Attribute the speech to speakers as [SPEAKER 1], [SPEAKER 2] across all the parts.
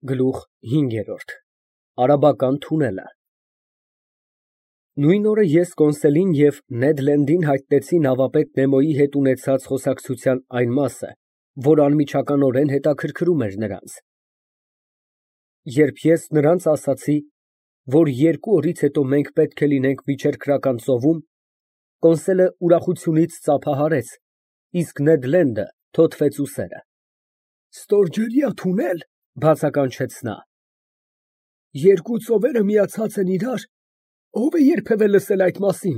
[SPEAKER 1] Գլուխ 5 Արաբական թունելը Նույն օրը ես Կոնսելին և Նեդ Լենդին հայտնեցի նավապետ Նեմոյի հետ ունեցած խոսակցության այն մասը, որ անմիջականորեն հետաքրքրում էր նրանց։ Երբ ես նրանց ասացի, որ 2 օրից հետո մենք պետք է լինենք Միջերկրական ծովում, Կոնսելը ուրախությունից ծափահարեց, իսկ Նեդ Լենդը թոթվեց ուսերը։
[SPEAKER 2] Ստորջրյա թունել,
[SPEAKER 1] բացականչեց նա։
[SPEAKER 2] Երկու ծովերը միացած են իրար, ով է երբևէ լսել այդ մասին։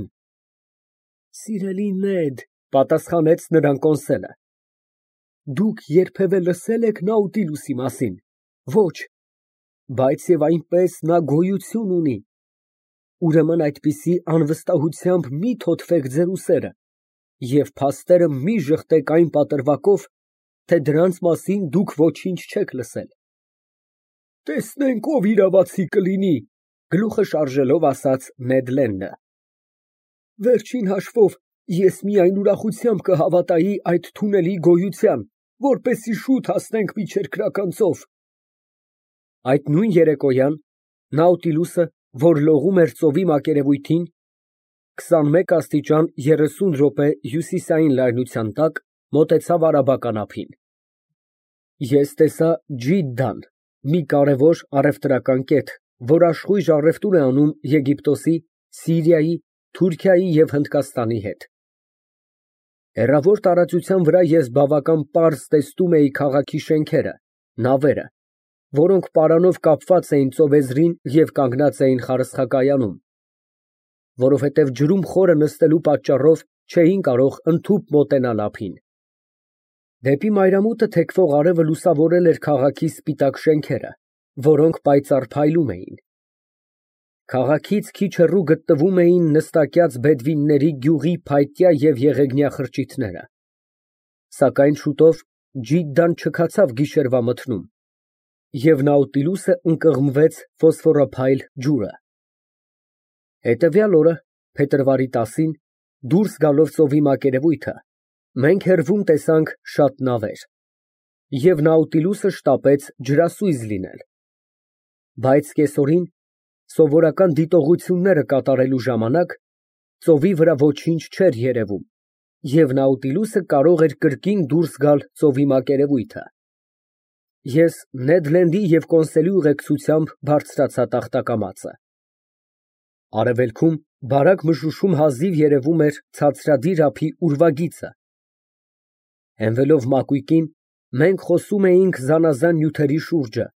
[SPEAKER 1] Սիրելի Նեդ, պատասխանեց նրան Կոնսելը, դուք երբևէ լսել եք Նաուտիլուսի մասին։ Ոչ, բայց և այնպես նա գոյություն ունի։ Ուրեմն այդպիսի անվստահությամբ մի թոթվեք ձեր ուսերը և փաստերը մի ժխտեք այն պատրվակով, թե դրանց մասին դուք ոչինչ չեք լսել։
[SPEAKER 2] Տեսնենք ով իրավացի կլինի,
[SPEAKER 1] գլուխը շարժելով ասաց Նեդ Լենդը։
[SPEAKER 2] Վերջին հաշվով ես միայն ուրախությամբ կհավատայի այդ թունելի գոյության, որպեսզի շուտ հասնենք Միջերկրական ծով։
[SPEAKER 1] Այդ նույն երեկոյան Նաուտիլուսը, որ լողում էր ծովի մակերևույթին, 21 աստիճան 30 րոպե հյուսիսային լայնության տակ, մոտեցավ արաբական ափին։ Ես տեսա Ջիդդան, մի կարևոր առևտրական կետ, որ աշխույժ առևտուր է անում Եգիպտոսի, Սիրիայի, Թուրքիայի և Հնդկաստանի հետ։ Հեռավոր տարածության վրա ես բավական պարզ տեսնում էի քաղաքի շենքերը, նավերը, որոնք պարանով կապված էին ծովեզրին և կանգնած էին խարսխակայանում, որովհետև ջրում խորը նստելու պատճառով չէին կարող ընդհուպ մոտենալ ափին։ Դեպի մայրամուտը թեքվող արևը լուսավորել էր քաղաքի սպիտակ շենքերը, որոնք պայծառ փայլում էին։ Քաղաքից քիչ հեռու գտնվում էին նստակյաց բեդվինների գյուղի փայտյա և եղեգնյա խրճիթները։ Սակայն շուտով Ջիդդան չքացավ գիշերվա մթնում, և Նաուտիլուսը ընկղմվեց ֆոսֆորափայլ ջուրը։ Հետևյալ օրը, փետրվարի 10-ին, դուրս գալով ծովի մակերևույթը, մենք հեռվում տեսանք շատ նավեր, և Նաուտիլուսը շտապեց ջրասույզ լինել։ Բայց կեսօրին, սովորական դիտողությունները կատարելու ժամանակ, ծովի վրա ոչինչ չէր երևում, և Նաուտիլուսը կարող էր կրկին դուրս գալ ծովի մակերևույթը։ Ես Նեդ Լենդի և Կոնսելի ուղեկցությամբ բարձրացա տախտակամածը։ Արևելքում բարակ մշուշում հազիվ երևում էր ցածրադիր ափի ուրվագիծը։ Հենվելով մակույկին, մենք խոսում էինք զանազան նյութերի շուրջը։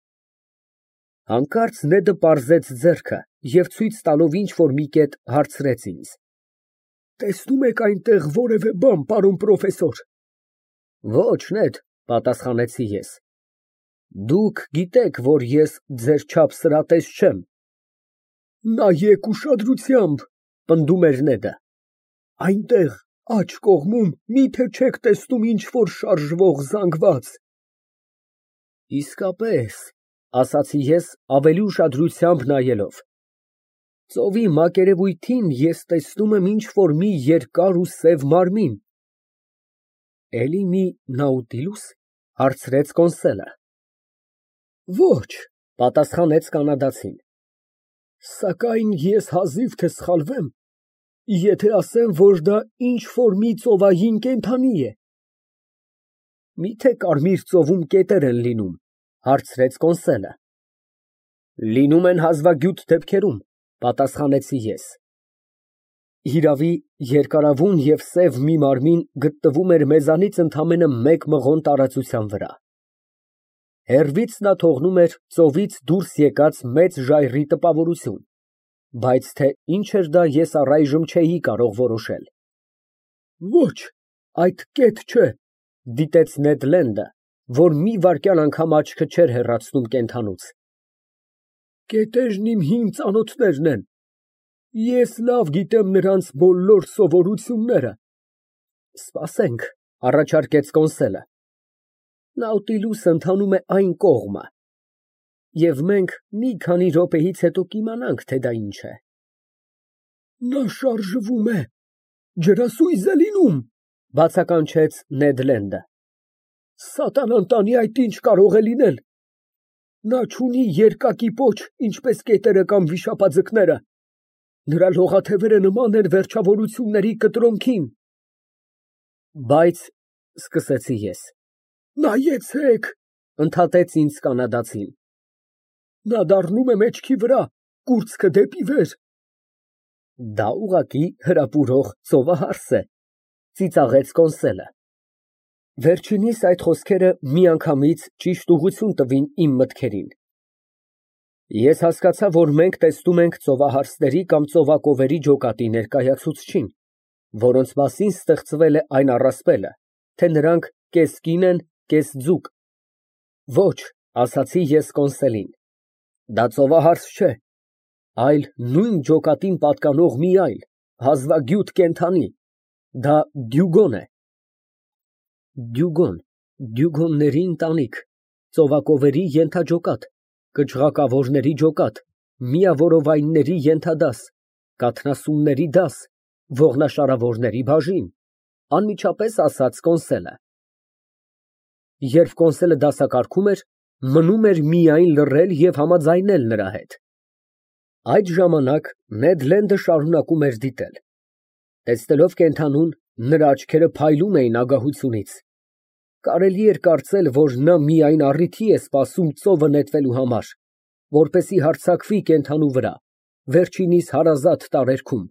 [SPEAKER 1] Հանկարծ Նեդը պարզեց ձեռքը և ցույց տալով ինչ֊որ մի կետ, հարցրեց ինձ.
[SPEAKER 2] Տեսնում եք այնտեղ որևէ բան, պարոն պրոֆեսոր։
[SPEAKER 1] Ոչ, Նեդ, պատասխանեցի ես։ Դուք գիտեք, որ ես ձեր չափ սրատես չեմ։
[SPEAKER 2] Նայեք ուշադրությամբ,
[SPEAKER 1] պնդում էր Նեդը։
[SPEAKER 2] Այնտեղ, աջ կողմում, միթե չեք տեսնում ինչ֊որ շարժվող զանգված։
[SPEAKER 1] Իսկապես, ասացի ես ավելի ուշադրությամբ նայելով։ Ծովի մակերևույթին ես տեսնում եմ ինչ֊որ մի երկար ու սև մարմին։ Էլի մի Նաուտիլուս, հարցրեց Կոնսելը։
[SPEAKER 2] Ոչ,
[SPEAKER 1] պատասխանեց կանադացին։
[SPEAKER 2] Սակայն ես հազիվ թե սխալվեմ, եթե ասեմ, որ դա ինչ֊որ մի ծովային կենդանի է։
[SPEAKER 1] Միթե Կարմիր ծովում կետեր են լինում, հարցրեց Կոնսելը։ Լինում են հազվագյուտ դեպքերում, պատասխանեցի ես։ Իրավի, երկարավուն և սև մի մարմին գտնվում էր մեզանից ընդամենը 1 մղոն տարածության վրա։ Հեռվից նա թողնում էր ծովից դուրս եկած մեծ ժայռի տպավորություն, բայց թե ինչ էր դա ես առայժմ չէի կարող որոշել։
[SPEAKER 2] Ոչ, այդ կետ չէ,
[SPEAKER 1] դիտեց Նեդ Լենդը, որ մի վայրկյան անգամ աչքը չէր հեռացնում կենդանուց։
[SPEAKER 2] Կետերն իմ հին ծանոթներն են։ Ես լավ գիտեմ նրանց բոլոր սովորությունները։
[SPEAKER 1] Սպասենք, առաջարկեց Կոնսելը։ Նաուտիլուսը ընթանում է այն կողմը, և մենք մի քանի րոպեից հետո կիմանանք, թե դա ինչ է։
[SPEAKER 2] Նա շարժվում է, ջրասույզ է լինում,
[SPEAKER 1] բացականչեց Նեդ Լենդը։
[SPEAKER 2] Սատանան տանի այդ ինչ կարող է լինել։ Նա չունի երկակի պոչ, ինչպես կետերը կամ վիշապաձկները։ Նրա լողաթևերը նման են վերջավորությունների կտրոնքին։
[SPEAKER 1] Բայց, սկսեցի ես։
[SPEAKER 2] Նայեցեք,
[SPEAKER 1] Ընդհատեց ինձ կանադացին։
[SPEAKER 2] նա դառնում է մեջքի վրա, կուրծքը դեպի վեր։
[SPEAKER 1] Դա ուղղակի հրապուրող ծովահարս է, ծիծաղեց Կոնսելը։ Վերջինիս այդ խոսքերը միանգամից ճիշտ ուղղություն տվին իմ մտքերին։ Ես հասկացա, որ մենք տեսնում ենք ծովահարսների կամ ծովակովերի ջոկատի ներկայացուցչին, որոնց մասին ստեղծվել է այն առասպելը, թե նրանք կես կին են, կես ձուկ։ Ոչ, ասացի ես Կոնսելին, դա ծովահարս չէ, այլ նույն ջոկատին պատկանող մի այլ, հազվագյուտ կենդանի, դա դյուգոն է։ Դյուգոնների ընտանիք, ծովակովերի ենթաջոկատ, կճղակավորների ջոկատ, միավորովայնների ենթադաս, կաթնասունների դաս, ողնաշարավորների բաժին, անմիջապես ասաց Կոնսելը։ Երբ Կոնսելը դասակարգում էր, մնում էր միայն լռել և համաձայնել նրա հետ։ Այդ ժամանակ Նեդ Լենդը շարունակում էր դիտել։ Տեսնելով կենդանուն, նրա աչքերը փայլում էին ագահությունից։ Կարելի էր կարծել, որ նա միայն առիթի է սպասում ծովը նետվելու համար, որպեսզի հարձակվի կենդանու վրա, վերջինիս հարազատ տարերքում։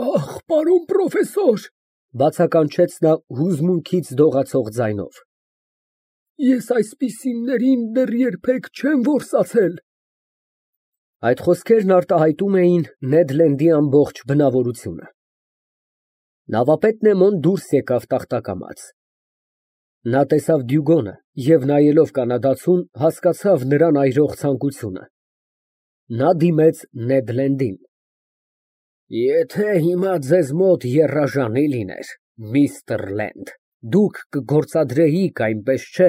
[SPEAKER 2] Ախ, պարոն պրոֆեսոր,
[SPEAKER 1] Բացականչեց նա հուզմունքից դողացող ձայնով։
[SPEAKER 2] ես այսպիսիներին դեռ երբեք չեմ որսացել։
[SPEAKER 1] Այդ խոսքերն արտահայտում էին Նեդ Լենդի ամբողջ բնավորությունը։ Նավապետ Նեմոն դուրս եկավ տախտակամած։ Նա տեսավ Դյուգոնը և նայելով կանադացուն, հասկացավ նրան այրող ցանկությունը։ Նա դիմեց Նեդ Լենդին։ Եթե հիմա ձեզ մոտ եռաժանի լիներ, միստր Լենդ, դուք կգործադրեիք, այնպես չէ։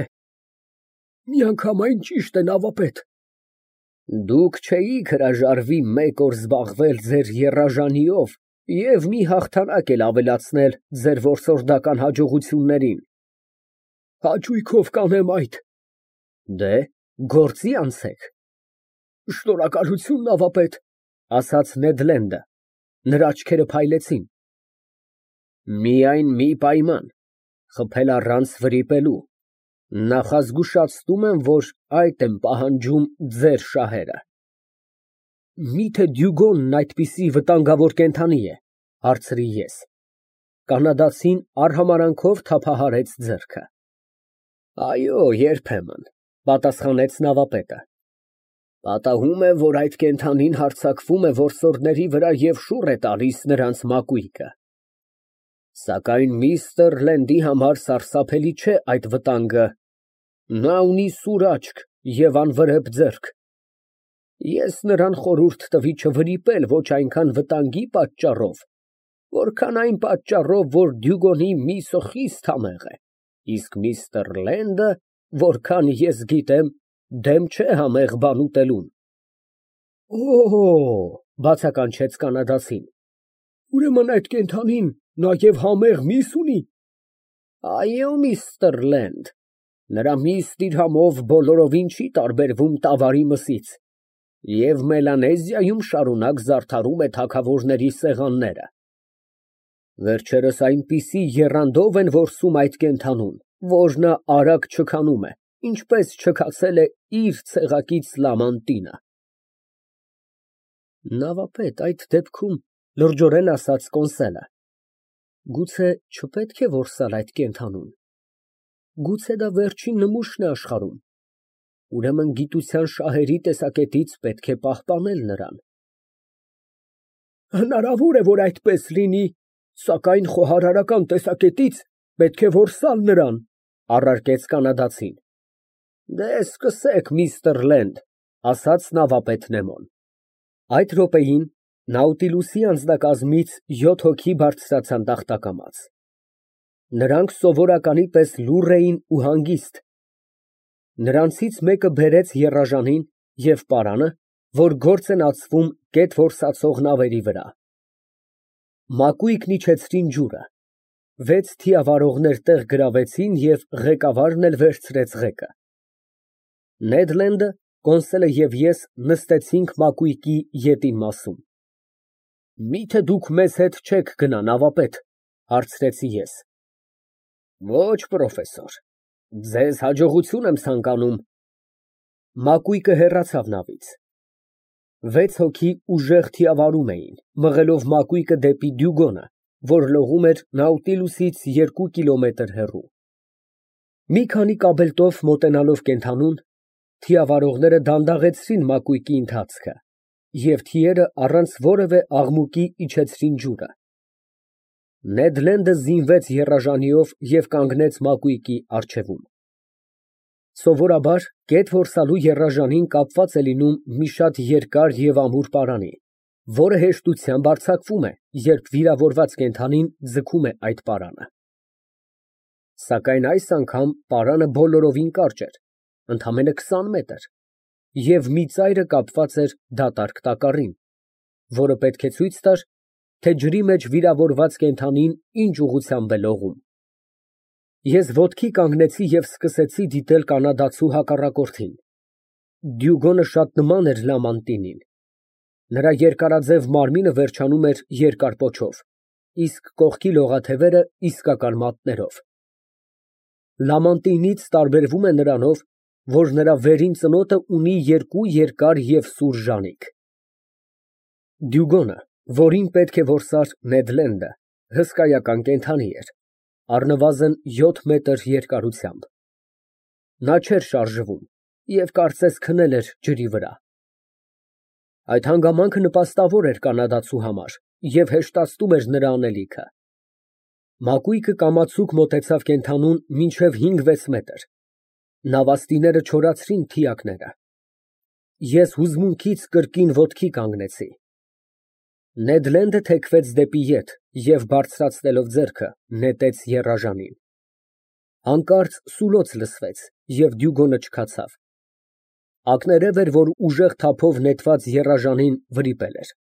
[SPEAKER 2] Միանգամայն ճիշտ է, նավապետ։
[SPEAKER 1] Դուք չէիք հրաժարվի մեկ օր զբաղվել ձեր եռաժանիով և մի հաղթանակ էլ ավելացնել ձեր որսորդական հաջողություններին։
[SPEAKER 2] Հաճույքով կանեմ այդ։
[SPEAKER 1] Դե, գործի անցեք։
[SPEAKER 2] Շնորհակալություն, նավապետ,
[SPEAKER 1] ասաց Նեդ Լենդը։ Նրա աչքերը փայլեցին։ Միայն մի պայման, խփել առանց վրիպելու։ Նախազգուշացնում եմ, որ այդ եմ պահանջում ձեր շահերը։ Միթե Դյուգոնն այդպիսի վտանգավոր կենդանի է, հարցրի ես։ Կանադացին արհամարանքով թափահարեց ձեռքը։ Այո, երբեմն, պատասխանեց նավապետը։ Պատահում է, որ այդ կենդանին հարձակվում է որսորդների վրա և շուռ է տալիս նրանց մակույկը։ Սակայն միստր Լենդի համար սարսափելի չէ այդ վտանգը։ Նա ունի սուր աչք և անվրեպ ձեռք։ Ես նրան խորհուրդ տվի չվրիպել ոչ այնքան վտանգի պատճառով, որքան այն պատճառով, որ Դյուգոնի միսը խիստ համեղ է, իսկ միստր Լենդը, որքան ես գիտեմ, դեմ չէ համեղ բան ուտելուն։
[SPEAKER 2] Օ,
[SPEAKER 1] Բացականչեց կանադացին։
[SPEAKER 2] ուրեմն այդ կենդանին նաև համեղ միս ունի։
[SPEAKER 1] Այո, միստր Լենդ, նրա միսն իր համով բոլորովին չի տարբերվում տավարի մսից, և Մելանեզիայում շարունակ զարդարում է թագավորների սեղանները։ Վերջերս այնպիսի եռանդով են որսում այդ կենդանուն, որ նա արագ չքանում է, ինչպես չքացել է իր ցեղակից Լամանտինը։ Նավապետ, այդ դեպքում, լրջորեն ասաց Կոնսելը, գուցե չպետք է որսալ այդ կենդանուն։ Գուցե դա վերջին նմուշն է աշխարհում։ Ուրեմն գիտության շահերի տեսակետից պետք է պահպանել նրան։
[SPEAKER 2] Հնարավոր է, որ այդպես լինի, սակայն խոհարարական տեսակետից պետք է որսալ նրան,
[SPEAKER 1] առարկեց կանադացին։ Դե սկսեք, միստր Լենդ, ասաց նավապետ Նեմոն։ Այդ րոպեին Նաուտիլուսի անձնակազմից 7 հոգի բարձրացան տախտակամաց։ Նրանք սովորականի պես լուռ էին ու հանգիստ։ Նրանցից մեկը բերեց եռաժանին և պարանը, որ գործ են ածվում գետ որսացող նավերի վրա։ Մակույկն իջեցրին ջուրը։ 6 թիավարողներ տեղ գրավեցին և ղեկավարն էլ վերցրեց ղեկը։ Նեդ Լենդը, Կոնսոլը և ես նստեցինք մակույկի ետին մասում։ Մի՞թե դուք մեզ հետ չեք գնա, նավապետ, հարցրեցի ես։ Ոչ, պրոֆեսոր, ձեզ հաջողություն եմ ցանկանում։ Մակույկը հեռացավ նավից։ 6 հոգի ուժեղ թիավարում էին, մղելով մակույկը դեպի Դյուգոնը, որ լողում էր Նաուտիլուսից 2 կիլոմետր հեռու։ Մի քանի կաբելտով մոտենալով կենդանուն, թիավարողները դանդաղեցրին մակույկի ընթացքը, և թիերը առանց որևէ աղմուկի իջեցրին ջուրը։ Նեդ Լենդը զինվեց եռաժանիով և կանգնեց մակույկի առջևում։ Սովորաբար գետ որսալու եռաժանին կապված է լինում մի շատ երկար և ամուր պարանի, որը հեշտությամբ արձակվում է, երբ վիրավորված կենդանին ձգում է այդ պարանը։ Սակայն այս անգամ պարանը բոլորովին կարճ էր, ընդամենը 20 մետր, և մի ծայրը կապված էր դատարկ տակառին, որը պետք է ցույց տար, թե ջրի մեջ վիրավորված կենդանին ինչ ուղղությամբ է լողում։ Ես ոտքի կանգնեցի և սկսեցի դիտել կանադացու հակառակորդին։ Դյուգոնը շատ նման էր Լամանտինին։ Նրա երկարաձև մարմինը վերջանում էր երկար պոչով, իսկ կողքի լողաթևերը իսկական մատներով։ Լամանտինից տարբերվում է նրանով, որ նրա վերին ծնոտը ունի 2 երկար և սուր ժանիք։ Դյուգոնը, որին պետք է որսար Նեդ Լենդը, հսկայական կենդանի էր, առնվազն 7 մետր երկարությամբ։ Նա չէր շարժվում և կարծես քնել էր ջրի վրա։ Այդ հանգամանքը նպաստավոր էր կանադացու համար և հեշտացնում էր նրա անելիքը։ Մակույկը կամացուկ մոտեցավ կենդանուն մինչև 5-6 մետր։ Նավաստիները չորացրին թիակները։ Ես հուզմունքից կրկին ոտքի կանգնեցի։ Նեդ Լենդը թեքվեց դեպի ետ և, բարձրացնելով ձեռքը, նետեց եռաժանին։ Հանկարծ սուլոց լսվեց, և Դյուգոնը չքացավ։ Ակներև էր, որ ուժեղ թափով նետված եռաժանին վրիպել էր։